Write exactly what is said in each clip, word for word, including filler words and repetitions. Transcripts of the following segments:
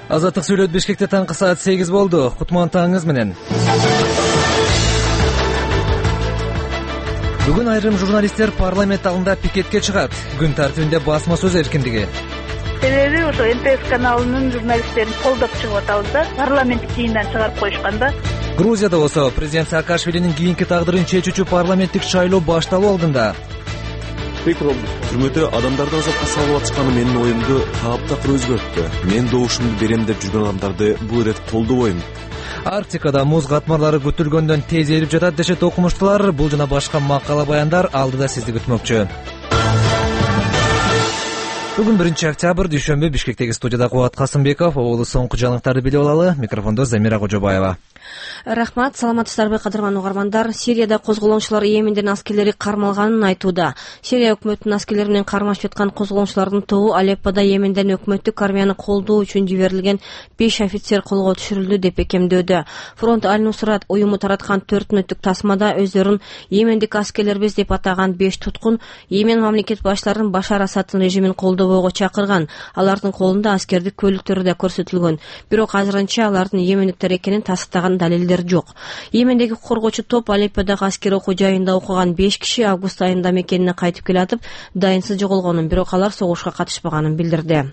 Азаттык сүйлөт. Бишкекте таңкы саат сегиз болду. Кутман таңыңыз менен. Бүгүн айрым журналисттер парламент алдында пикетке чыгат. Күн тартибинде басма сөз эркиндиги. Себеби ошо эн тэ эс каналынын журналисттерин колдоп чыгып атабыз да, парламенттик жыйындан чыгарып коюшканда. Грузияда болсо президент Саакашвилинин кийинки тагдырын чечүүчү парламенттик шайлоо башталуу алдында. Түрмөдө адамдарды азапка салып атышканы менин оюмду таптакыр өзгөрттү. Мен добушумду берем деп жүргөн адамдарды бул ирет колдобойм. Арктикада муз катмарлары күтүлгөндөн тез эрип жатат дешет окумуштуулар. Бул жана башка макала баяндар алдыда сизди күтмөкчү. Бүгүн биринчи октябрь дүйшөмбү. Бишкектеги студияда Кубат Касымбеков. Оболу соңку жаңылыктарды билип алалы. Микрофондо Замира Кожобаева. Рахмат, саламатсыздарбы кадырман угармандар. Сирияда козголоңчулар Йемендин аскерлери кармалганын айтууда. Сирия өкмөтүнүн аскерлери менен кармашып жаткан козголоңчулардын тобу Алеппода Йеменден өкмөттүк армияны колдоо үчүн жиберилген беш офицер колго түшүрүлдү деп бекемдөөдө. Фронт Аль-Нусрат уюму тараткан төрт мүнөттүк тасмада өздөрүн Йемендик аскерлербиз деп атаган беш туткун Йемен мамлекет баштарын Башар Асадтын режимин колдобоого чакырган. Алардын колунда аскердик көлүктөрү да көрсөтүлгөн. Бирок азырынча алардын йемендиктер экенин тастыктаган далилдер жок. Йемендеги коргоочу топ Алепподагы аскер окуу жайында окуган беш киши август айында мекенине кайтып келатып, дайынсыз жоголгонун, бирок алар согушка катышпаганын билдирди.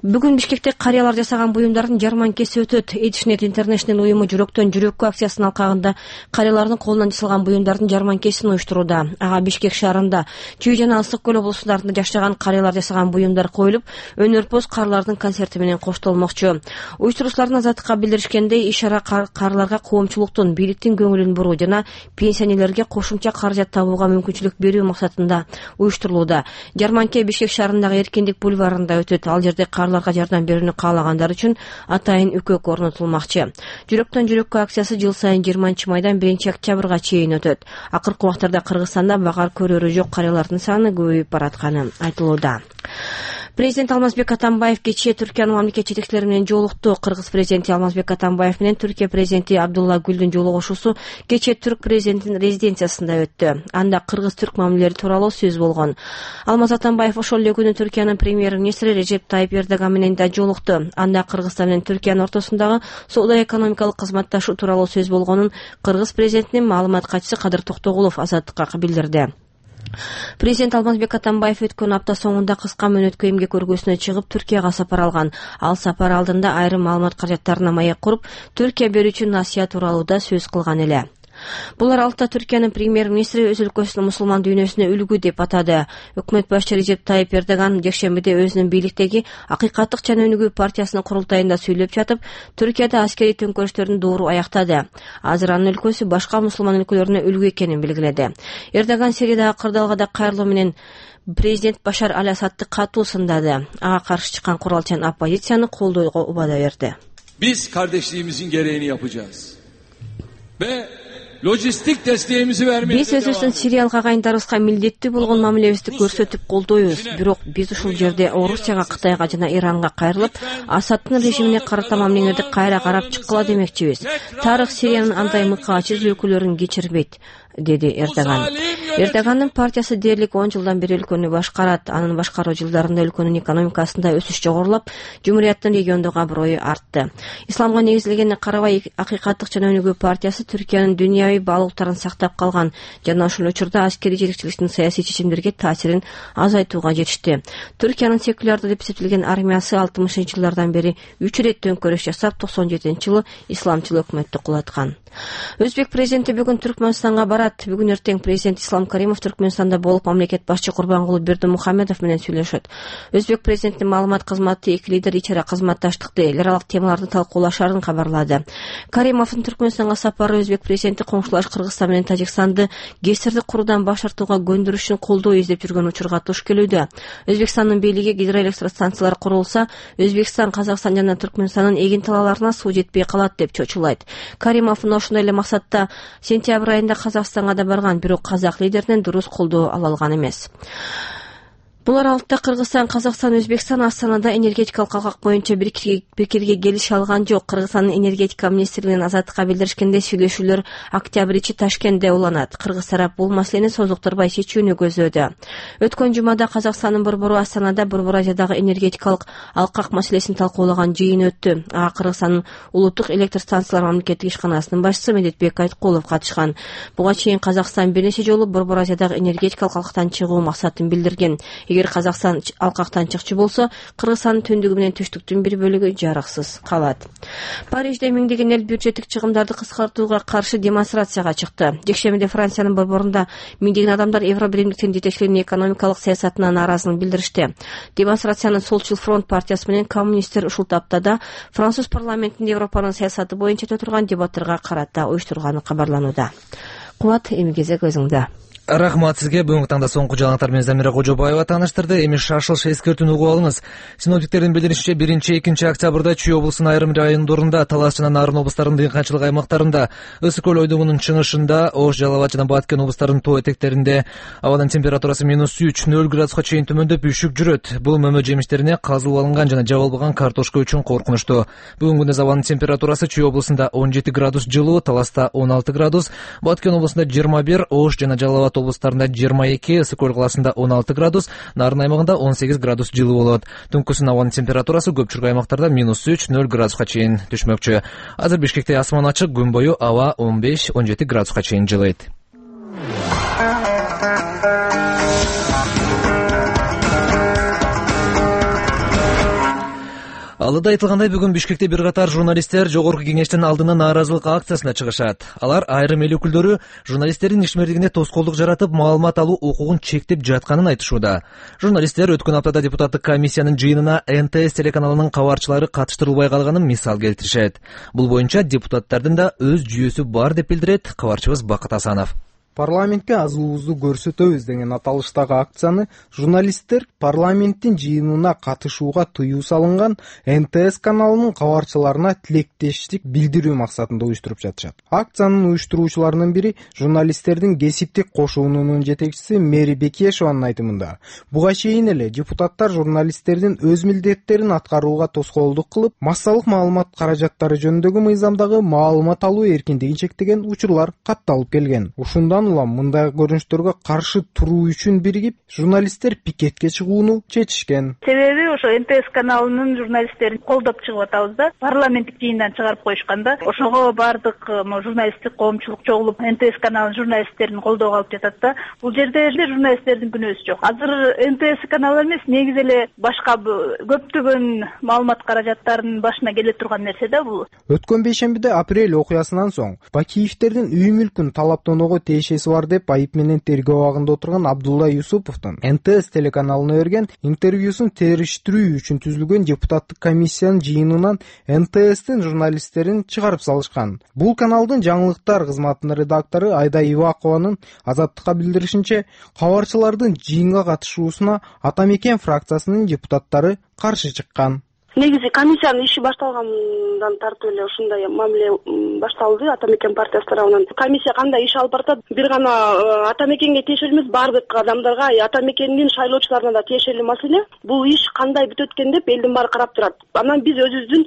Бүгүн Бишкекте карыялар жасаган буюмдардын жарманкеси өтөт. Эдишнет Интернешнл уюму жүрөктөн жүрөккө акциясынын алкагында карыялардын колунан жасалган буюмдардын жарманкесин уюштурууда. Ага Бишкек шаарында, Чүй жана Ысык көл облустарында жашаган карыялар жасаган буюмдар коюлуп, өнөрпоз карылардын концерти менен коштолмокчу. Уюштуруучулардын Азаттыкка билдиришкендей, иш-чара карыларга коомчулуктун, бийликтин көңүлүн буруу жана пенсионерлерге кошумча каражат табууга мүмкүнчүлүк берүү максатында уюштурулууда. Жарманке Бишкек шаарындагы Эркиндик бульварында өтөт. Ал жерде жардам берүүнү каалагандар үчүн атайын үкөк орнотулмакчы. Жүрөктөн жүрөккө акциясы жыл сайын жыйырманчы майдан биринчи октябрга чейин өтөт. Акыркы убактарда Кыргызстанда багар көрөрү жок карыялардын саны көбөйүп баратканы айтылууда. Президент Алмазбек Атамбаев кечээ Түркиянын мамлекет жетекчилери менен жолукту. Кыргыз президенти Алмазбек Атамбаев менен Түркия президенти Абдулла Гүлдүн жолугушуусу кечээ түрк президентинин резиденциясында өттү. Анда кыргыз-түрк мамилелери тууралуу сөз болгон. Алмаз Атамбаев ошол эле күнү Түркиянын премьер-министри Режеп Тайип Эрдоган менен да жолукту. Анда Кыргызстан менен Түркиянын ортосундагы соода-экономикалык кызматташуу тууралуу сөз болгонун кыргыз президентинин маалымат катчысы Кадыр Токтогулов Азаттыкка билдирди. Президент Алмазбек Атамбаев өткөн апта соңунда кыска мөөнөткө эмгек көргөзүүнө чыгып Түркияга сапар алган. Ал сапар алдында айрым маалымат каражаттарына маек куруп, Түркия берүүчү насыя тууралуу да сөз кылган эле. Бул аралыкта Түркиянын премьер-министри өз өлкөсүнүн мусулман дүйнөсүнө үлгү деп атады. Өкмөт башчы Режеп Тайип Эрдоган жекшембиде өзүнүн бийликтеги Акыйкаттык жана өнүгүү партиясынын курултайында сүйлөп жатып, Түркияда аскерий төңкөрүштөрдүн доору аяктады. Азыр анын өлкөсү башка мусулман өлкөлөрүнө үлгү экенин белгиледи. Эрдоган Сириядагы кырдаалгада кайрылуу менен президент Башар Аль-Асадты катуу сындады. Ага каршы чыккан куралчан оппозицияны колдоого убада берди. Biz kardeşliğimizin gereğini yapacağız. Ve lojistik desteğimizi vermeye Биз өзүбүздүн сириялык агайындарыбызга милдеттүү болгон мамилебизди көрсөтүп колдойбуз. Бирок биз ушул жерде Орусияга, Кытайга жана Иранга кайрылып, Асадтын режимине карата мамилеңерди кайра карап чыккыла демекчибиз. Тарых Сириянын андай мыкаачыз өлкөлөрүн кечирбейт, деди Эрдоган. Эрдогандын партиясы дээрлик он жылдан бери өлкөнү башкарат. Анын башкаруу жылдарында өлкөнүн экономикасында өсүш жогорулап, жумурияттын региондогу аброю артты. Исламга негизилгенине карабай, Акыйкаттык жана өнүгүү партиясы Түркиянын дүйнөбүй баалуулуктарын сактап калган жана ошол учурда аскерий жетекчиликтин саясий чечимдерге таасирин азайтууга жетишти. Түркиянын секулярдуу деп эсептелген армиясы алтымышынчы жылдардан бери үч ирет төңкөрүш жасап, токсон жетинчи жылы исламчыл өкмөттү кулаткан. Өзбек президенти бүгүн Түркмөнстанга барат. Бүгүн эртең президент Ислам Каримов Түркмөнстанда болуп, мамлекет башчы Курбангулы Бердимухамедов менен сүйлөшөт. Өзбек президентинин маалымат кызматы эки лидер ичара кызматташтыкты, эл аралык темаларды талкуулашарын кабарлады. Каримовдун Түркмөнстанга сапары өзбек президенти коңшулаш Кыргызстан менен Тажикстанды кесирди куруудан баш тартууга көндүрүшүн колдоо издеп жүргөн учурга туш келүүдө. Өзбекстандын бийлиги гидроэлектростанциялар курулса, Өзбекстан, Казакстан жана Түркмөнстандын эгин талааларына суу жетпей калат деп чочулайт. Каримов ошондой эле максатта сентябрь айында Казакстанга да барган, бирок казак лидеринен дурус колдоо ала алган эмес. Бул аралыкта Кыргызстан, Казакстан, Өзбекстан Астанада энергетикалык калкак боюнча биркирге келиши алган жок. Кыргызстандын энергетика министрлигинин Азаттыкка билдиришкенде сүйлөшүүлөр октябрь ичи Ташкентте уланат. Кыргыз тарап бул маселени созуктурбай чечүүнү көздөөдө. Өткөн жумада Казакстандын борбору Астанада Борбор Азиядагы энергетикалык алкак маселесин талкуулаган жыйын өттү. Ага Кыргызстандын улуттук электр станциялар мамлекеттик ишканасынын башчысы Медетбек Айткулов катышкан. Буга чейин Казакстан бир нече жолу Борбор Азиядагы энергетикалык алкактан чыгуу максатын билдирген. Эгер Казакстан алкактан чыкчы болсо, Кыргызстандын түндүгү менен түштүктүн бир бөлүгү жарыксыз калат. Парижде миңдеген эл бюджеттик чыгымдарды кыскартууга каршы демонстрацияга чыкты. Жекшембиде Франциянын борборунда миңдеген адамдар Евро биримдиктин жетекчилеринин экономикалык саясатына нааразылыгын билдиришти. Демонстрацияны Солчул фронт партиясы менен коммунисттер ушул таптада Француз парламентинде Европанын саясаты боюнча өтө турган дебаттарга карата уюштурганы кабарланууда. Кубат, эми кезек өзүңдө. Рахмат сизге. Бүгүнкү таңда соңку жаңылыктар менен Замира Кожобаева тааныштырды. Эми шашылыш эскертүүнү угуп алыңыз. Синоптиктердин билдиришинче биринчи экинчи октябрда Чүй облусунун айрым райондорунда, Талас жана Нарын облустарынын дыйканчылык аймактарында, Ысык көл ойдогунун чыгышында, Ош, Жалал Абад жана Баткен облустарынын тоо этектеринде абанын температурасы минус үч нөл градуска чейин төмөндөп үшүк жүрөт. Бул мөмө жемиштерине казылып алынган жана жабылбаган картошка үчүн коркунучтуу. Бүгүнкү күндө абанын температурасы Чүй облусунда он жети градус жылуу, Таласта он алты градус, Баткен облусунда жыйырма бир, Ош жана Жалал Абад облустарында жыйырма эки, Ысык көл каласында он алты градус, Нарын аймагында он сегиз градус жылуу болот. Түнкүсүн абанын температурасы көпчүлүк аймактарда минус үч нөл градуска чейин түшмөкчү. Азыр Бишкекте асман ачык, күн бою аба он беш он жети градуска чейин жылыйт. Алыда айтылгандай, бүгүн Бишкекте бир катар журналисттер Жогорку Кеңештин алдына нааразылык акциясына чыгышат. Алар айрым эл өкүлдөрү журналисттердин ишмердигине тоскоолдук жаратып, маалымат алуу укугун чектеп жатканын айтышууда. Журналисттер өткөн аптада депутаттык комиссиянын жыйынына эн тэ эс телеканалынын кабарчылары катыштырылбай калганын мисал келтиришет. Бул боюнча депутаттардын да өз жүйөсү бар деп билдирет кабарчыбыз Бакыт Асанов. Парламентке азуулуубузду көрсөтөбүз деген аталыштагы акцияны журналисттер парламенттин жыйынына катышууга тыюу салынган эн тэ эс каналынын кабарчыларына тилектештик билдирүү максатында уюштуруп жатышат. Акциянын уюштуруучуларынын бири журналисттердин кесиптик кошуунунун жетекчиси Мэри Бекешеванын айтымында, буга чейин эле депутаттар журналисттердин өз милдеттерин аткарууга тоскоолдук кылып, массалык маалымат каражаттары жөнүндөгү мыйзамдагы маалымат алуу эркиндигин чектеген учурлар катталып келген. Ушундан улам мындай көрүнүштөргө каршы туруу үчүн биригип, журналисттер пикетке чыгууну чечишкен. Себеби ошо эн тэ эс каналынын журналисттерин колдоп чыгып атабыз да, парламенттик жыйындан чыгарып коюшканда, ошого бардык журналисттик коомчулук чогулуп эн тэ эс каналынын журналисттерин колдоого алып жатат да. Бул жерде эле журналисттердин күнөөсү жок. Азыр эн тэ эс каналы эмес, негизи эле башка көптөгөн маалымат каражаттарынын башына келе турган нерсе да бул. Өткөн бейшембиде апрель окуясынан соң Бакиевтердин үй мүлкүн талаптоого тиешеси бар деп айып менен тергөө абагында отурган Абдулла Юсуповдун эн тэ эс телеканалына берген интервьюсун териштирүү үчүн түзүлгөн депутаттык комиссиянын жыйынынан эн тэ эстин журналисттерин чыгарып салышкан. Бул каналдын жаңылыктар кызматынын редактору Айда Ивакованын Азаттыкка билдиришинче, кабарчылардын жыйынга катышуусуна Ата Мекен фракциясынын депутаттары каршы чыккан. Негизи комиссиянын иши башталгандан тартып эле ушундай мамиле башталды Ата Мекен партиясы тарабынан. Комиссия кандай иш алып баратат? Бир гана Ата Мекенге тиешелүү эмес, бардык адамдарга, Ата Мекендин шайлоочуларына да тиешелүү маселе. Бул иш кандай бүтөт экен деп элдин баары карап турат. Анан биз өзүбүздүн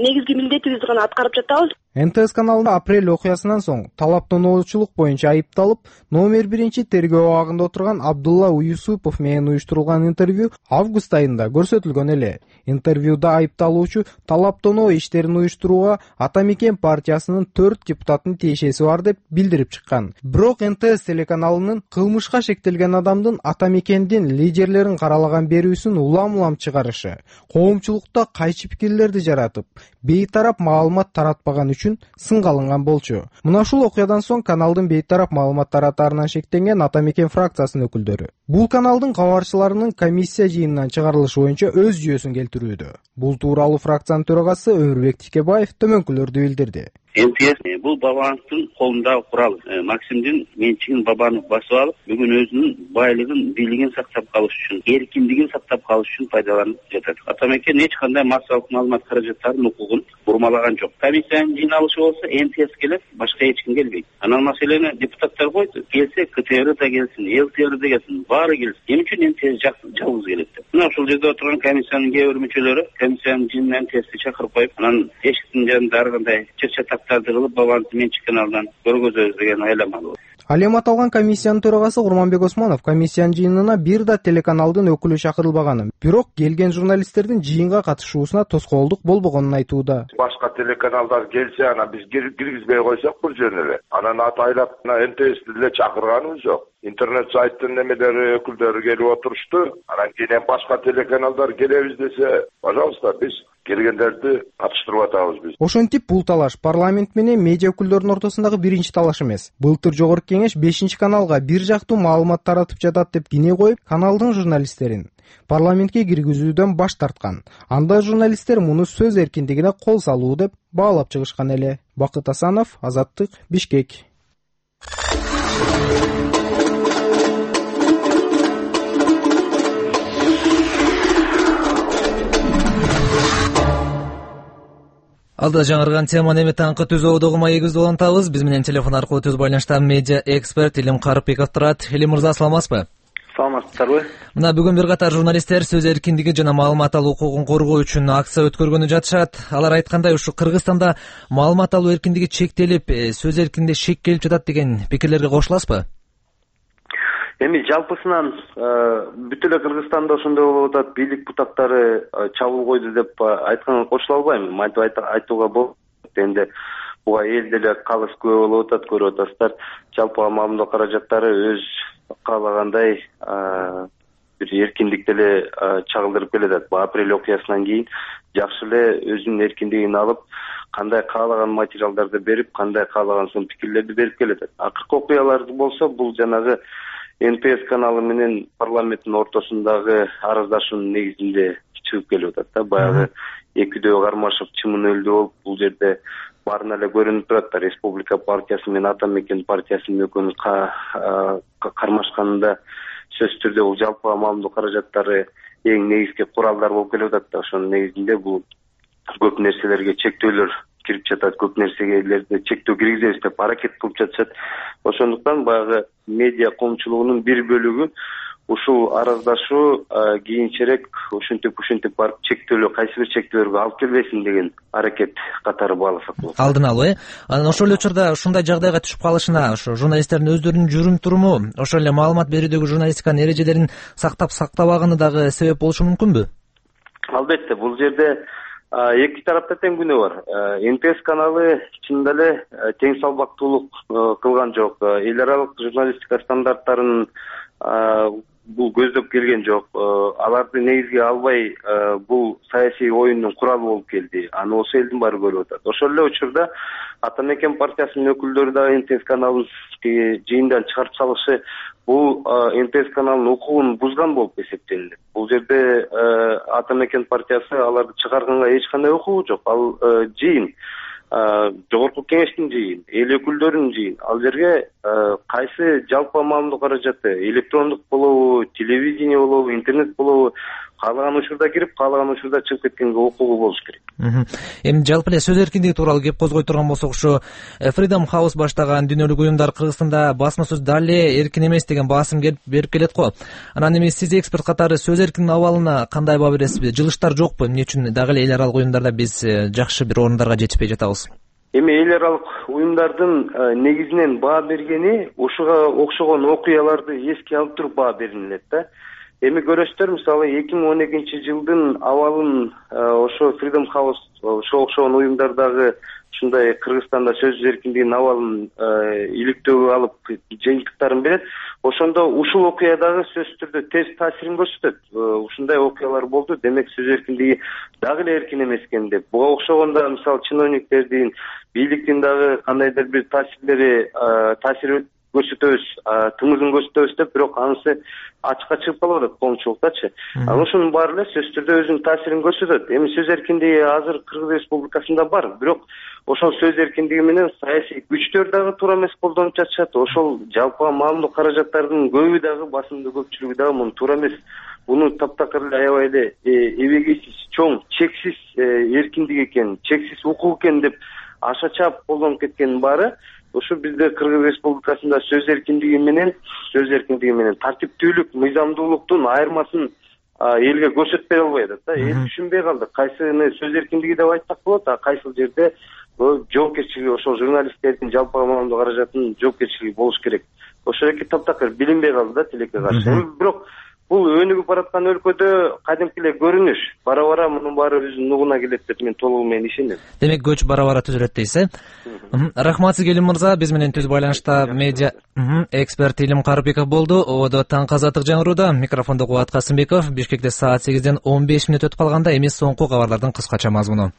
негизги милдетибизди гана аткарып жатабыз. эн тэ эс каналында апрель окуясынан соң талаптоочулук боюнча айыпталып, номер биринчи тергөө абагында отурган Абдулла Юсупов менен уюштурулган интервью август айында көрсөтүлгөн эле. Интервьюда айыпталуучу талаптоноо иштерин уюштурууга Ата Мекен партиясынын төрт депутаттын тиешеси бар деп билдирип чыккан. Бирок эн тэ эс телеканалынын кылмышка шектелген адамдын Ата Мекендин лидерлерин каралаган берүүсүн улам-улам чыгарышы, коомчулукта кайчы пикирлерди жаратып, бейтарап маалымат таратпаган үчүн сынга алынган болчу. Мына ушул окуядан соң каналдын бейтарап маалымат таратаарынан шектенген Ата Мекен фракциясынын өкүлдөрү бул каналдын кабарчыларынын комиссия жыйынынан чыгарылышы боюнча өз жүйөсүн келтирүүдө. Бул тууралуу фракциянын төрагасы Өмүрбек Тикебаев төмөнкүлөрдү билдирди. эн тэ эс бул Бабановдун колундагы курал. Максимдин менчигин Бабанов басып алып, бүгүн өзүнүн байлыгын, бийлигин сактап калыш үчүн, эркиндигин сактап калыш үчүн пайдаланып жатат. Атамекен эч кандай массалык маалымат каражаттарынын укугун бурмалаган жок. Комиссиянын жыйналышы болсо эн тэ эс келет, башка эч ким келбейт. Анан маселени депутаттар койду. Келсе ка тэ эр да келсин, эл тэ эр да келсин, баары келсин. Эмне үчүн эн тэ эс жалгыз келет деп. Мына ушул жерде отурган комиссиянын кээ бир мүчөлөрү комиссиянын жыйынына эн тэ эсти чакырып коюп, анан эшиктин жанында ар кандай чыр-чатактарды кылып Бабановдун менчик каналынан көргөзөбүз деген айламалуу. Ал эми аталган комиссиянын төрагасы Курманбек Осмонов комиссиянын жыйынына бир да телеканалдын өкүлү чакырылбаганын, бирок келген журналисттердин жыйынга катышуусуна тоскоолдук болбогонун айтууда. Башка телеканалдар келсе, анан биз киргизбей койсок бул жерде эле. Анан атайлап эн тэ эсти деле чакырганыбыз жок. Интернет сайттын немелери өкүлдөрү келип отурушту. Анан кийин башка телеканалдар келебиз десе, пожалуйста, биз келгендерди катыштырып атабыз биз. Ошентип бул талаш парламент менен медиа өкүлдөрүнүн ортосундагы биринчи талаш эмес. Былтыр жогорку кеңеш бешинчи каналга бир жактуу маалымат таратып жатат деп кине коюп, каналдын журналисттерин парламентке киргизүүдөн баш тарткан. Анда журналисттер муну сөз эркиндигине кол салуу деп баалап чыгышкан эле. Бакыт Асанов, Азаттык, Бишкек. Алда жаңырган теманы эми таңкы түзөө догу маегибизди улантабыз. Биз менен телефон аркылуу түз байланышта медиа эксперт Илим Карыпбеков турат. Илим мырза, саламатсызбы? Саламатсыздарбы? Мына бүгүн бир катар журналисттер сөз эркиндиги жана маалымат алуу укугун коргоо үчүн акция өткөргөнү жатышат. Алар айткандай, ушу Кыргызстанда маалымат алуу эркиндиги чектелип, сөз эркиндигине шек келип жатат деген пикирлерге кошуласызбы? Эми жалпысынан бүт эле Кыргызстанда ошондой болуп атат, бийлик бутактары чабуул койду деп айтканга кошула албайм. Мынтип айтууга болот. Эми буга эл деле калыс күбө болуп атат, көрүп атасыздар. Жалпы маалымат каражаттары өз каалагандай бир эркиндик деле чагылдырып келатат. Апрель окуясынан кийин жакшы эле өзүнүн эркиндигин алып, кандай каалаган материалдарды берип, кандай каалаган соң пикирлерди берип келатат. Акыркы окуялар болсо, бул жанагы эн тэ эс каналы менен парламенттин ортосундагы арыздашуунун негизинде чыгып келип атат да. Баягы экидөө кармашып чымын өлдү болуп, бул жерде баарына эле көрүнүп турат да. Республика партиясы менен Атамекен партиясынын экөөнүн кармашканында сөзсүз түрдө бул жалпы маалымат каражаттары эң негизги куралдар болуп келип атат да. Ошонун негизинде бул көп нерселерге чектөөлөр кирип жатат, көп нерселерди чектөө киргизебиз деп аракет кылып жатышат. Ошондуктан баягы медиа коомчулугунун бир бөлүгү ушул араздашуу кийинчерээк ушинтип ушинтип барып чектөөлө, кайсы бир чектөөлөргө алып келбесин деген аракет катары бааласак болот. Алдын алуу, э? Анан ошол эле учурда ушундай жагдайга түшүп калышына ошо журналисттердин өздөрүнүн жүрүм туруму, ошол эле маалымат берүүдөгү журналистиканын эрежелерин сактап сактабаганы дагы себеп болушу мүмкүнбү? Албетте, бул жерде эки тарапта тең күнөө бар. эн тэ эс каналы чынында эле тең салбактуулук кылган жок. Эл аралык журналистика стандарттарын бул көздөп келген жок. Аларды негизге албай бул саясий оюндун куралы болуп келди. Аны осы элдин баары көрүп атат. Ошол эле учурда Атамекен партиясынын өкүлдөрү да эн тэ эс каналын жыйындан чыгарып салышы бул эн тэ эс каналынын укугун бузган болуп эсептелинет. Бул жерде Атамекен партиясы аларды чыгарганга эч кандай укугу жок. Ал жыйын, жогорку кеңештин жыйын, эл өкүлдөрүнүн жыйын. Ал жерге кайсы жалпы маалымат каражаты, электрондук болобу, телевидение болобу, интернет болобу, каалаган учурда кирип, каалаган учурда чыгып кеткенге укугу болуш керек. Эми жалпы эле сөз эркиндиги тууралуу кеп козгой турган болсок, ушу Freedom House баштаган дүйнөлүк уюмдар Кыргызстанда басма сөз дале эркин эмес деген баасым берип келет го. Анан эми сиз эксперт катары сөз эркиндигинин абалына кандай баа бересизби? Жылыштар жокпу? Эмне үчүн дагы эле эл аралык уюмдарда биз жакшы бир орундарга жетишпей жатабыз? Эми эл аралык уюмдардын негизинен баа бергени ушуга окшогон окуяларды эске алып туруп баа берилет да. Эми көрөсүздөр, мисалы эки миң он экинчи жылдын абалын ошо Freedom House ошо окшогон уюмдардагы ушундай Кыргызстанда сөз эркиндигинин абалын иликтөөгө алып жыйынтыктарын берет. Ошондо ушул окуядагы сөзсүз түрдө терс таасирин көрсөтөт. Ушундай окуялар болду, демек сөз эркиндиги дагы эле эркин эмес экен деп. Буга окшогондо мисалы чиновниктердин, бийликтин дагы кандайдыр бир таасирлери таасир көрсөтөбүз, тыңызын көрсөтөбүз деп, бирок анысы ачыкка чыгып калып атат коомчулуктачы. Ошонун баары эле сөзсүз түрдө өзүнүн таасирин көрсөтөт. Эми сөз эркиндиги азыр Кыргыз Республикасында бар, бирок ошол сөз эркиндиги менен саясий күчтөр дагы туура эмес колдонуп жатышат. Ошол жалпыга маалымдоо каражаттардын көбү дагы, басымдуу көпчүлүгү дагы муну туура эмес. Буну таптакыр эле аябай эле эбегейсиз, чоң, чексиз эркиндик экен, чексиз укук экен деп аша чаап колдонуп кеткенин баары ошо бизде Кыргыз Республикасында сөз эркиндиги менен сөз эркиндиги менен тартиптүүлүк, мыйзамдуулуктун айырмасын элге көрсөтпөй албай атат да. Эл түшүнбөй калды. Кайсыны сөз эркиндиги деп айтсак болот, а кайсыл жерде жоопкерчилиги, ошол журналисттердин жалпыга маалымдоо каражатынын жоопкерчилиги болуш керек. Ошол эки таптакыр билинбей калды да тилекке каршы. Бирок бул өнүгүп бараткан өлкөдө кадимки эле көрүнүш. Бара-бара мунун баары өзүнүн нугуна келет деп мен толугу менен ишенем. Демек көч бара-бара түзөлөт дейсиз, э? Рахмат сизге Илим мырза. Биз менен түз байланышта медиа эксперт Илим Карыбеков болду. Ободо таңкы азаттык жаңырууда. Микрофондо Кубат Касымбеков. Бишкекте саат сегизден он беш мүнөт өтүп калганда эми соңку кабарлардын кыскача мазмуну.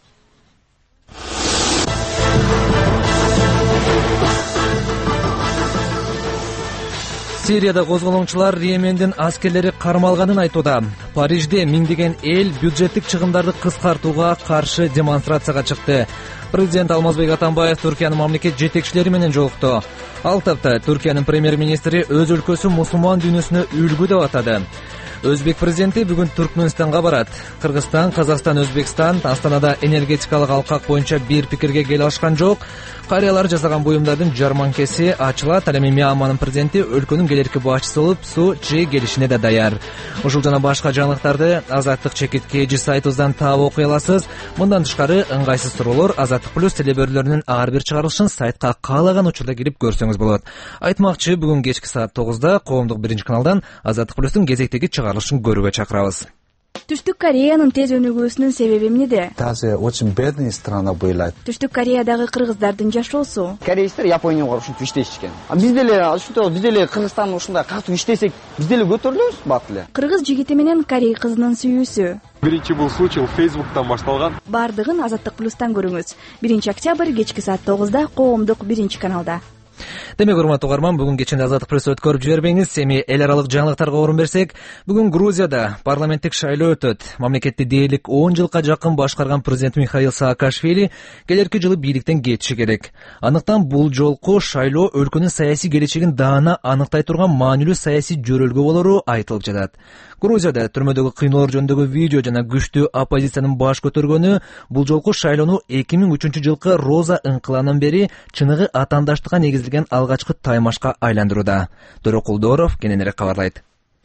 Сирияда козголоңчулар Йемендин аскерлери кармалганын айтууда. Парижде миңдеген эл бюджеттик чыгымдарды кыскартууга каршы демонстрацияга чыкты. Президент Алмазбек Атамбаев Түркиянын мамлекет жетекчилери менен жолукту. Ал тапта Түркиянын премьер-министри өз өлкөсү мусулман дүйнөсүнө үлгү деп атады. Өзбек президенти бүгүн Түркмөнстанга барат. Кыргызстан, Казакстан, Өзбекстан Астанада энергетикалык алкак боюнча бир пикирге келе алышкан жок. Карыялар жасаган буюмдардын жарманкеси ачылат. Ал эми Мьянманын президенти өлкөнүн келерки башчысы болуп Су Чжи келишине да даяр. Ушул жана башка жаңылыктарды Азаттык чекитке эжи сайтыбыздан таап окуй аласыз. Мындан тышкары ыңгайсыз суроолор Азаттык плюс телебөрүлөрүнүн ар бир чыгарылышын сайтка каалаган учурда кирип көрсөңүз болот. Айтмакчы, бүгүн кечки саат тогузда коомдук биринчи каналдан Азаттык плюстун кезектеги чыгарылышын көрүүгө чакырабыз. Түштүк Кореянын тез өнүгүүсүнүн себеби эмнеде? Даже очень бедная страна была. Түштүк Кореядагы кыргыздардын жашоосу. Кореецтер Японияга ушинтип иштешкен. А биз деле ушунтип биз деле Кыргызстан ушундай катуу иштесек, биз деле көтөрүлөбүз бат эле. Кыргыз жигити менен корей кызынын сүйүүсү. Биринчи бул случай Фейсбуктан башталган. Бардыгын Азаттык плюстан көрүңүз. биринчи октябрь кечки саат тогузда коомдук биринчи каналда. Демек, урматтуу угарман, бүгүн кечинде Азаттык плюс өткөрүп жибербеңиз. Эми эл аралык жаңылыктарга орун берсек, бүгүн Грузияда парламенттик шайлоо өтөт. Мамлекетти дээрлик он жылга жакын башкарган президент Михаил Саакашвили келерки жылы бийликтен кетиши керек. Андыктан бул жолку шайлоо өлкөнүн саясий келечегин даана аныктай турган маанилүү саясий жөрөлгө болору айтылып жатат. Грузияда түрмөдөгү кыйноолор жөнүндөгү видео жана күчтүү оппозициянын баш көтөргөнү бул жолку шайлоону эки миң үчүнчү жылкы Роза ыңкыланан бери чыныгы атаандаштыкка негизилген алгачкы таймашка айландырууда. Дөрөкулдоров кененирээк кабарлайт.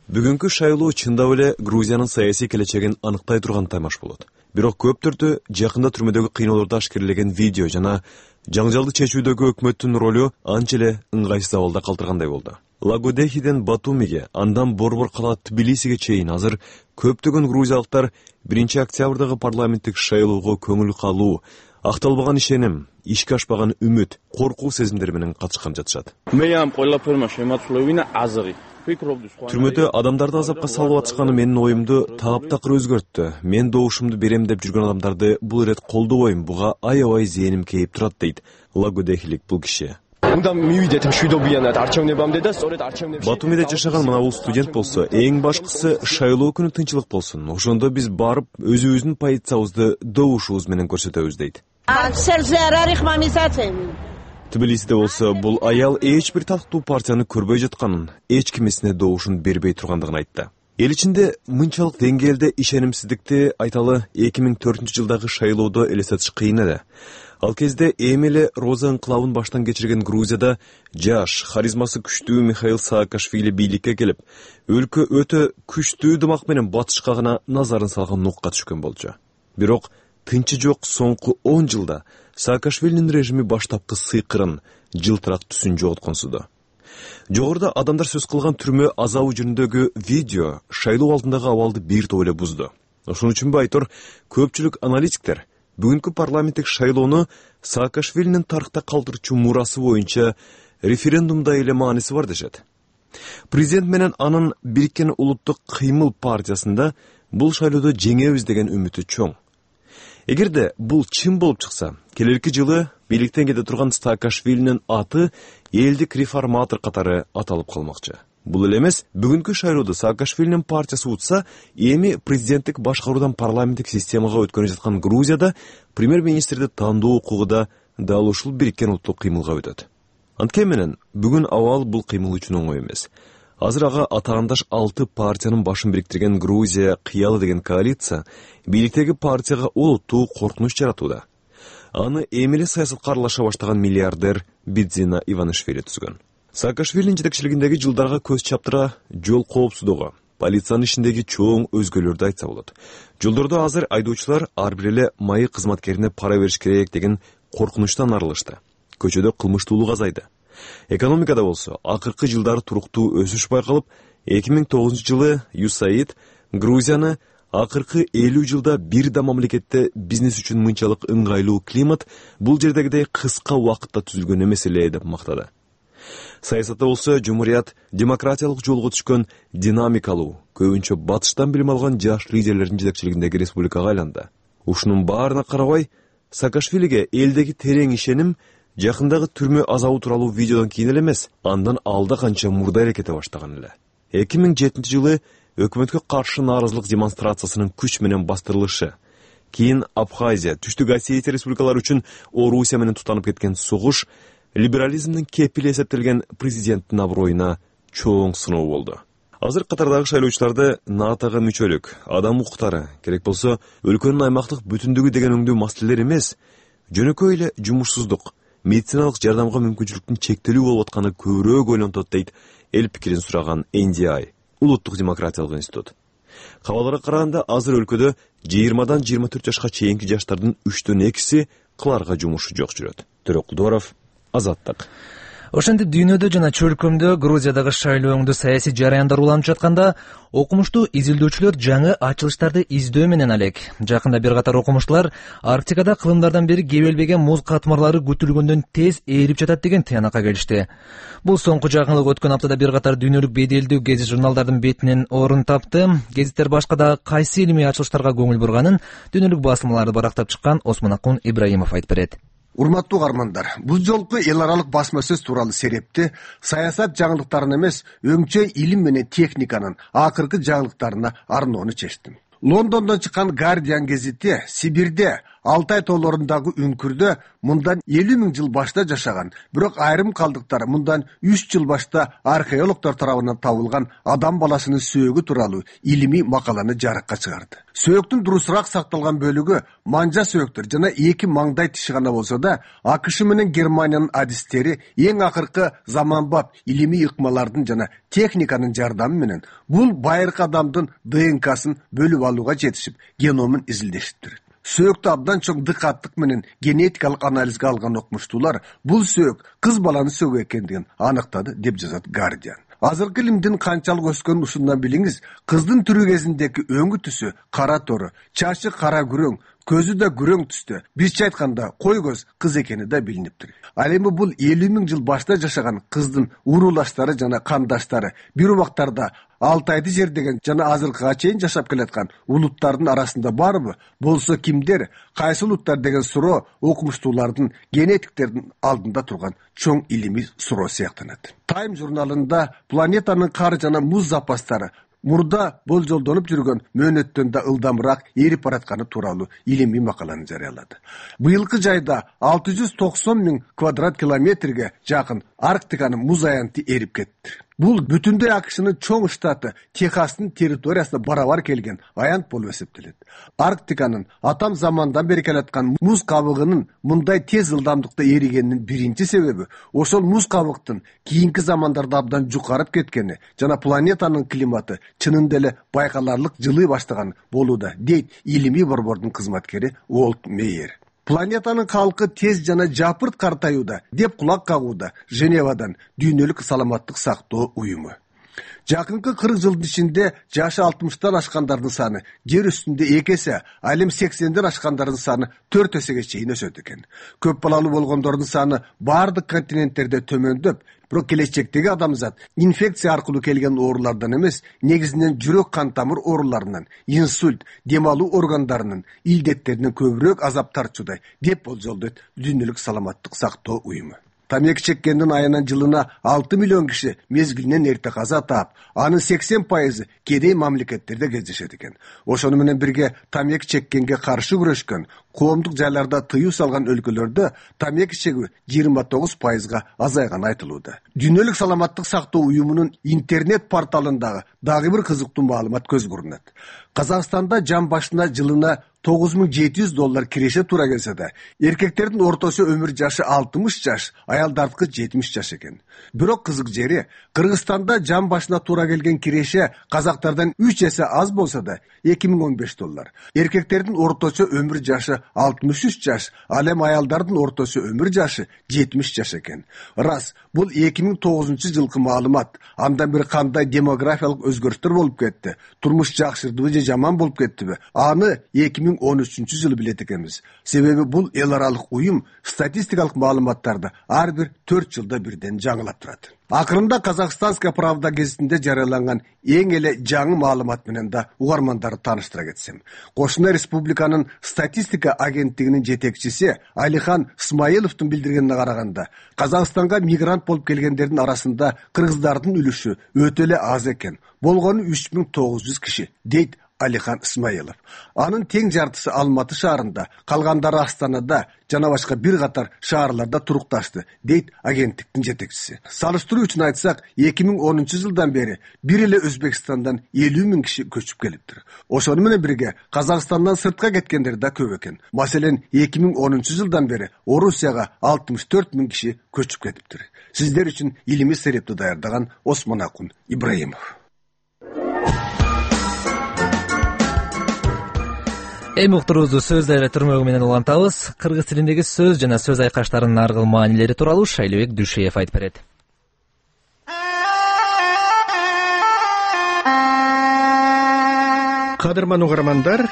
Бүгүнкү шайлоо чындап эле Грузиянын саясий келечегин аныктай турган таймаш болот. Бирок көптөрдү жакында түрмөдөгү кыйноолорду ашкерлеген видео жана жаңжалды чечүүдөгү өкмөттүн ролу анча эле ыңгайсыз абалда калтыргандай болду. Лагодехиден Батумиге, андан борбор кала Тбилисиге чейин азыр көптөгөн грузиялыктар биринчи октябрдагы парламенттик шайлоого көңүл калуу, акталбаган ишеним, ишке ашпаган үмүт, коркуу сезимдери менен катышкан жатышат. Түрмөдө адамдарды азапка салып атышканы менин оюмду таптакыр өзгөрттү. Мен добушумду берем деп жүргөн адамдарды бул ирет колдобойм, буга аябай зээним кейип турат дейт лагодехилик бул киши. Батумиде жашаган мына бул студент болсо, эң башкысы шайлоо күнү тынчылык болсун. Ошондо биз барып өзүбүздүн позициябызды добушубуз менен көрсөтөбүз дейт. Тбилисиде болсо бул аял эч бир талктуу партияны көрбөй жатканын, эч кимисине добушун бербей тургандыгын айтты. Эл ичинде мынчалык деңгээлде ишенимсиздикти айталы эки миң төртүнчү жылдагы шайлоодо элестетиш кыйын эле. Ал кезде эми эле Роза ыңкылабын баштан кечирген Грузияда жаш, харизмасы күчтүү Михаил Саакашвили бийликке келип, өлкө өтө күчтүү дымак менен батышка гана назарын салган нукка түшкөн болчу. Бирок тынчы жок соңку он жылда Саакашвилинин режими баштапкы сыйкырын, жылтырак түсүн жоготконсуду. Жогоруда адамдар сөз кылган түрмө азабы жөнүндөгү видео шайлоо алдындагы абалды бир топ эле бузду. Ошон үчүнбү айтор, көпчүлүк аналитиктер бүгүнкү парламенттик шайлоону Саакашвилинин тарыхта калтырчу мурасы боюнча референдумда эле мааниси бар дешет. Президент менен анын Бириккен улуттук кыймыл партиясында бул шайлоодо жеңебиз деген үмүтү чоң. Эгерде бул чын болуп чыкса, келерки жылы бийликтен кете турган Саакашвилинин аты элдик реформатор катары аталып калмакчы. Бул эле эмес, бүгүнкү шайлоодо Саакашвилинин партиясы утса, эми президенттик башкаруудан парламенттик системага өткөнүп жаткан Грузияда премьер-министрди тандоо укугу да дал ушул бириккен улуттук кыймылга өтөт. Анткени менен бүгүн абал бул кыймыл үчүн оңой эмес. Азыр ага атаандаш алты партиянын башын бириктирген Грузия кыялы деген коалиция бийликтеги партияга олуттуу коркунуч жаратууда. Аны эми эле саясатка аралаша баштаган миллиардер Бидзина Иванишвили түзгөн. Саакашвилинин жетекчилигиндеги жылдарга көз чаптыра жол коопсуздугу, полициянын ишиндеги чоң өзгөлөрдү айтса болот. Жолдордо азыр айдоочулар ар бир эле майы кызматкерине пара бериш керек деген коркунучтан арылышты. Көчөдө кылмыштуулук азайды. Экономикада болсо, акыркы жылдары туруктуу өсүш байкалып, эки миң тогузунчу жылы ЮСАИД Грузияны акыркы элүү жылда бир да мамлекетте бизнес үчүн мынчалык ыңгайлуу климат бул жердегидей кыска убакытта түзүлгөн эмес эле деп мактады. Саясатта болсо, жумурият демократиялык жолго түшкөн динамикалуу, көбүнчө батыштан билим алган жаш лидерлердин жетекчилигиндеги республикага айланды. Ушунун баарына карабай, Саакашвилиге элдеги терең ишеним жакындагы түрмө азабы тууралуу видеодон кийин эле эмес, андан алда канча мурда эрекете баштаган эле. эки миң жетинчи жылы өкмөткө каршы нааразылык демонстрациясынын күч менен бастырылышы, кийин Абхазия, Түштүк Осетия республикалары үчүн Орусия менен тутанып кеткен согуш либерализмдин кепили эсептелген президенттин аброюна чоң сыноо болду. Азыр катардагы шайлоочуларды НАТОга мүчөлүк, адам укуктары, керек болсо өлкөнүн аймактык бүтүндүгү деген өңдүү маселелер эмес, жөнөкөй эле жумушсуздук, медициналык жардамга мүмкүнчүлүктүн чектелүү болуп атканы көбүрөөк ойлонтот дейт эл пикирин сураган Эн Ди Ай, Улуттук демократиялык институт. Кабаларга караганда азыр өлкөдө жыйырмадан жыйырма төрт жашка чейинки жаштардын үчтөн экиси кыларга жумушу жок жүрөт. Төрөкулдуаров, Азаттык. Ошентип дүйнөдө жана чөлкөмдө Грузиядагы шайлоо өңдүү саясий жараяндар уланып жатканда, окумуштуу изилдөөчүлөр жаңы ачылыштарды издөө менен алек. Жакында бир катар окумуштуулар Арктикада кылымдардан бери кебелбеген муз катмарлары күтүлгөндөн тез ээрип жатат деген тыянакка келишти. Бул соңку жаңылык өткөн аптада бир катар дүйнөлүк беделдүү гезит журналдардын бетинен орун тапты. Гезиттер башка да кайсы илимий ачылыштарга көңүл бурганын дүйнөлүк басылмаларды барактап чыккан Осмонакун Ибраимов айтып берет. Урматтуу каармандар, бул жолку эл аралык басма сөз тууралуу серепти саясат жаңылыктарын эмес, өңчөй илим менен техниканын акыркы жаңылыктарына арноону чечтим. Лондондон чыккан Guardian гезити Сибирде Алтай тоолорундагы үңкүрдө мындан элүү миң жыл башта жашаган, бирок айрым калдыктар мындан үч жыл башта археологдор тарабынан табылган адам баласынын сөөгү тууралуу илимий макаланы жарыкка чыгарды. Сөөктүн дурусураак сакталган бөлүгү манжа сөөктөр жана эки маңдай тиши гана болсо да, АКШ менен Германиянын адистери эң акыркы заманбап илимий ыкмалардын жана техниканын жардамы менен бул байыркы адамдын Д Н К'сын бөлүп алууга жетишип, геномун изилдешиптир. Сөөктү абдан чоң дыкаттык менен генетикалык анализге алган окумуштуулар бул сөөк кыз баланын сөөгү экендигин аныктады деп жазат Guardian. Азыркы илимдин канчалык өскөнүн ушундан билиңиз, кыздын түрү кезиндеги өңү түсү кара тору, чачы кара күрөң, көзү да күрөң түстө. Бизче айтканда кой көз кыз экени да билиниптир. Ал эми бул элүү миң жыл башта жашаган кыздын урулаштары жана кандаштары бир убактарда Алтайды жердеген жана азыркыга чейин жашап келаткан улуттардын арасында барбы? Болсо кимдер? Кайсы улуттар деген суроо окумуштуулардын, генетиктердин алдында турган чоң илимий суроо сыяктанат. Time журналында планетанын кар жана муз запастары мурда болжолдонуп жүргөн мөөнөттөн да ылдамыраак эрип баратканы тууралуу илимий макаланы жарыялады. Быйылкы жайда алты жүз токсон миң квадрат километрге жакын Арктиканын муз аянты эрип кетти. Бул бүтүндөй АКШнын чоң штаты Техастын территориясына барабар келген аянт болуп эсептелет. Арктиканын атам замандан бери келаткан муз кабыгынын мындай тез ылдамдыкта эригенинин биринчи себеби ошол муз кабыктын кийинки замандарда абдан жукарып кеткени жана планетанын климаты чынында эле байкаларлык жылый баштаган болууда, дейт илимий борбордун кызматкери Уолт Мейер. Планетанын калкы тез жана жапырт картаюуда деп кулак кагууда Женевадан дүйнөлүк саламаттык сактоо уюму. Жакынкы кырк жылдын ичинде жашы алтымыштан ашкандардын саны жер үстүндө эки эсе, ал эми сексенден ашкандардын саны төрт эсеге чейин өсөт экен. Көп балалуу болгондордун саны бардык континенттерде төмөндөп, бирок келечектеги адамзат инфекция аркылуу келген оорулардан эмес, негизинен жүрөк кан тамыр ооруларынан, инсульт, дем алуу органдарынын илдеттеринен көбүрөөк азап тартууда деп болжолдойт Дүйнөлүк саламаттык сактоо уюму. Тамеки чеккендин айынан жылына алты миллион киши мезгилинен эрте каза таап, анын сексен пайызы кедей мамлекеттерде кездешет экен. Ошону менен бирге тамеки чеккенге каршы күрөшкөн, коомдук жайларда тыюу салган өлкөлөрдө тамеки чегүү жыйырма тогуз пайызга азайганы айтылууда. Дүйнөлүк саламаттык сактоо уюмунун интернет порталындагы дагы бир кызыктуу маалымат көз көрүнөт. Казакстанда жан башына жылына тогуз миң жети жүз доллар киреше туура келсе да, эркектердин орточо өмүр жашы алтымыш жаш, аялдардыкы жетимиш жаш экен. Бирок кызык жери, Кыргызстанда жан башына туура келген киреше казактардан үч эсе аз болсо да эки миң он беш доллар. Эркектердин орточо өмүр жашы алтымыш үч жаш, ал эми аялдардын орточо өмүр жашы жетимиш жаш экен. Рас, бул эки миң тогузунчу жылкы маалымат. Андан бери кандай демографиялык өзгөрүштөр болуп кетти? Турмуш жакшырдыбы же жаман болуп кеттиби? Аны эки миң он үчүнчү жылы билет экенбиз. Себеби бул эл аралык уюм статистикалык маалыматтарды ар бир төрт жылда бирден жаңылап турат. Акырында Казахстанская правда гезитинде жарыяланган эң эле жаңы маалымат менен да угармандарды тааныштыра кетсем. Кошуна республиканын статистика агенттигинин жетекчиси Алихан Исмаиловдун билдиргенине караганда, Казакстанга мигрант болуп келгендердин арасында кыргыздардын үлүшү өтө эле аз экен. Болгону үч миң тогуз жүз киши, дейт Алихан Исмаилов. Анын тең жартысы Алматы шаарында, калгандары Астанада жана башка бир катар шаарларда турукташты, дейт агенттиктин жетекчиси. Салыштыруу үчүн айтсак, эки миң онунчу жылдан бери бир эле Өзбекстандан элүү миң киши көчүп келиптир. Ошону менен бирге Казакстандан сыртка кеткендер да көп экен. Маселен, эки миң онунчу жылдан бери Орусияга алтымыш төрт миң киши көчүп кетиптир. Сиздер үчүн илимий серепти даярдаган Осмонакун Ибраимов. Эми уктуруубузду сөз дайра түрмөгү менен улантабыз. Кыргыз тилиндеги сөз жана сөз айкаштарынын ар кыл маанилери тууралуу Шайлыбек Дүшеев айтып берет. Кадырман угармандар,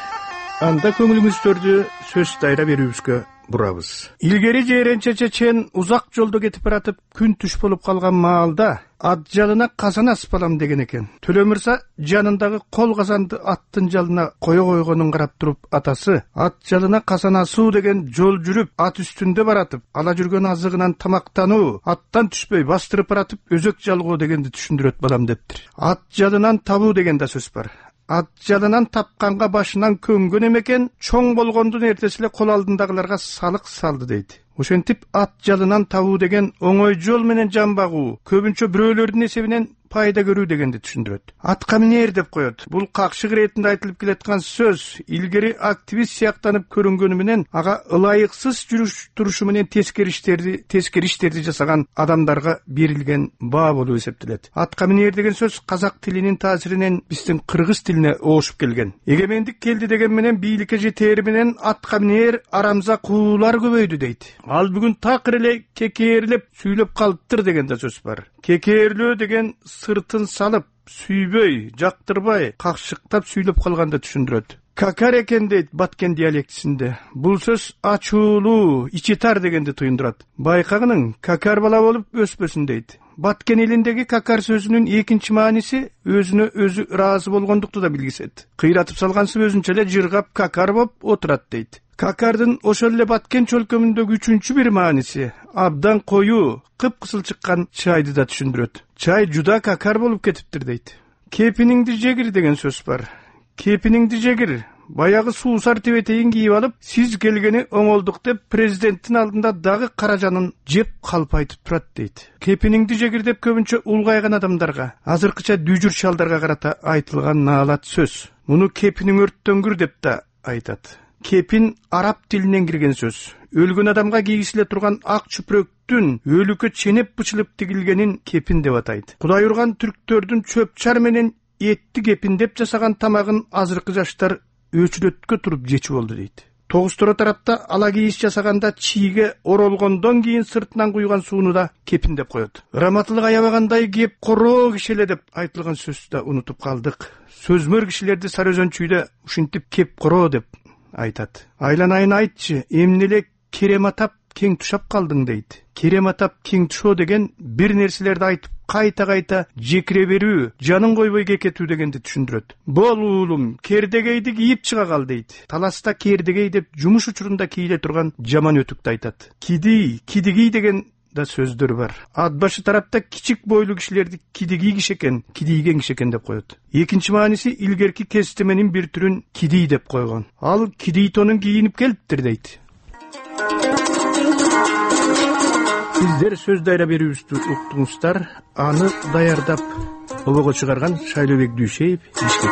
анда көңүлүңүздөрдү сөз дайра берүүбүзгө бурабыз. Илгери жээренче чечен узак жолдо кетип баратып күн түш болуп калган маалда ат жалына казан аспалам деген экен. Төлө мырза жанындагы кол казанды аттын жалына кое койгонун карап туруп атасы ат жалына казан асуу деген жол жүрүп ат үстүндө баратып ала жүргөн азыгынан тамактануу, аттан түшпөй бастырып баратып өзөк жалгоо дегенди түшүндүрөт балам дептир. Ат жалынан табуу деген да сөз бар. Ат жалынан тапканга башынан көнгөн эмекен, чоң болгондун эртеси эле кол алдындагыларга салык салды дейт. Ошентип ат жалынан табуу деген оңой жол менен жан багуу, көбүнчө бирөөлөрдүн эсебинен пайда көрүү дегенди түшүндүрөт. Атка минер деп коет. Бул какшык иретинде айтылып келаткан сөз илгери активист сыяктанып көрүнгөнү менен ага ылайыксыз жүрүш турушу менен тескери иштерди, тескери иштерди жасаган адамдарга берилген баа болуп эсептелет. Атка минер деген сөз казак тилинин таасиринен биздин кыргыз тилине оошуп келген. Эгемендик келди деген менен бийликке жетери менен атка минер арамза куулар көбөйдү дейт. Ал бүгүн такыр эле кекээрлеп сүйлөп калыптыр деген да сөз бар. Кекээрлөө деген сыртын салып, сүйбөй, жактырбай, какшыктап сүйлөп калганда түшүндүрөт. Какар экен дейт баткен диалектисинде. Бул сөз ачуулуу, ичи тар дегенди туюндурат. Байкагының какар бала болуп өспөсүн дейт. Баткен элиндеги какар сөзүнүн экинчи мааниси өзүнө өзү ыраазы болгондукту да билгисет. Кыйратып салгансып өзүнчө эле жыргап какар болуп отурат дейт. Какардын ошол эле баткен чөлкөмүндөгү үчүнчү бир мааниси абдан коюу, кыпкызыл чыккан чайды да түшүндүрөт. Чай жуда какар болуп кетиптир дейт. Кепиниңди жегир деген сөз бар. Кепиниңди жегир. Баягы суусар тебетейин кийип алып, сиз келгени оңолдук деп президенттин алдында дагы каражанын жеп калп айтып турат дейт. Кепиниңди жегир деп көбүнчө улгайган адамдарга, азыркыча дүйжүр шалдарга карата айтылган наалат сөз. Муну кепиниң өрттөнгүр деп да айтат. Кепин араб тилинен кирген сөз. Өлгөн адамга кийгизиле турган ак чүпүрөктүн өлүккө ченеп бычылып тигилгенин кепин деп атайт. Кудай урган түрктөрдүн чөп-чар менен этти кепиндеп жасаган тамагын азыркы жаштар өчүрөткө туруп жечү болду дейт. Тогуз-Тура тарапта ала кийиш жасаганда чийге оролгондон кийин сыртынан куйган сууну да кепиндеп коет. Ыраматтылык аябагандай кеп короо кишеле деп айтылган сөздү да унутуп калдык. Сөзмөр кишилерди Сары Өзөнчүйдө ушинтип кеп короо деп айтат. Айланайын айтчы, эмне эле керем атап кең тушап калдың дейт. Керем атап кең тушоо деген бир нерселерди айтып кайта-кайта жекире берүү, жанын койбой кекетүү дегенди түшүндүрөт. Бол уулум, кердегейди кийип чыга кал дейт. Таласта кердегей деп жумуш учурунда кийле турган жаман өтүктү айтат. Киди, кидигий деген да сөздөр бар. Ат башы тарапта кичик бойлуу кишилерди кидигий киши экен, кидийген киши экен деп коет. Экинчи мааниси илгерки кестеменин бир түрүн кидий деп койгон. Ал кидий тонун кийинип келиптир дейт. Сиздер сөз дайра берүүбүздү уктуңуздар. Аны даярдап обого чыгарган Шайлообек Дүйшеев, Бишкек.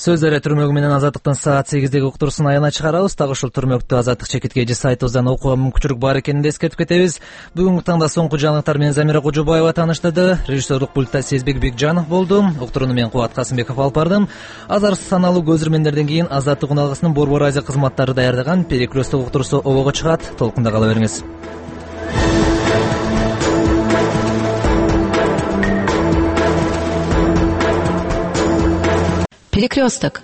Сөз дайра түрмөгү менен Азаттыктын саат сегиздеги уктуруусун аянат чыгарабыз. Так ушул түрмөктү Азаттык чекитке же сайтыбыздан окууга мүмкүнчүлүк бар экенин эскертип кетебиз. Бүгүнкү таңда соңку жаңылыктар менен Замира Кожобаева тааныштырды. Режиссерлук пультта Сезбек Бекжанов болду. Уктурууну мен Кубат Касымбеков алып бардым. Азар саналуу көзүрмөндөрдөн кийин Азаттык уналгысынын Борбор Азия кызматтары даярдаган Перекресток уктуруусу обого чыгат. Толкунда кала бериңиз. Перекресток.